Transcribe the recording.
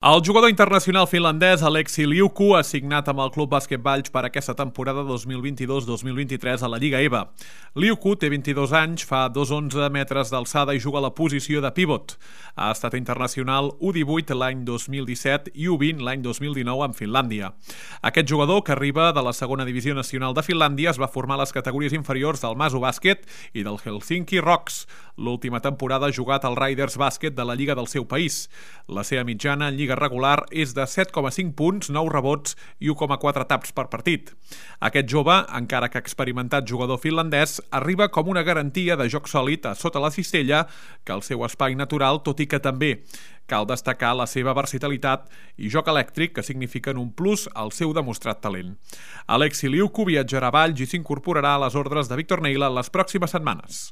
El jugador internacional finlandès Aleksi Liuku ha signat amb el Club Bàsquet Valls per aquesta temporada 2022-2023 a la Lliga EVA. Liuku té 22 anys, fa 2,11 metres d'alçada i juga a la posició de pivot. Ha estat internacional U18 l'any 2017 i U20 l'any 2019 amb Finlàndia. Aquest jugador, que arriba de la segona divisió nacional de Finlàndia, es va formar a les categories inferiors del Masu Bàsquet i del Helsinki Rocks. L'última temporada ha jugat al Riders Bàsquet de la Lliga del seu país. La seva mitjana en Lliga regular és de 7,5 punts, 9 rebots i 1,4 taps per partit. Aquest jove, encara que experimentat jugador finlandès, arriba com una garantia de joc sòlid a sota la cistella que el seu espai natural, tot i que també cal destacar la seva versatilitat i joc elèctric, que signifiquen un plus al seu demostrat talent. Aleksi Liuku viatjarà a Valls i s'incorporarà a les ordres de Víctor Neila les pròximes setmanes.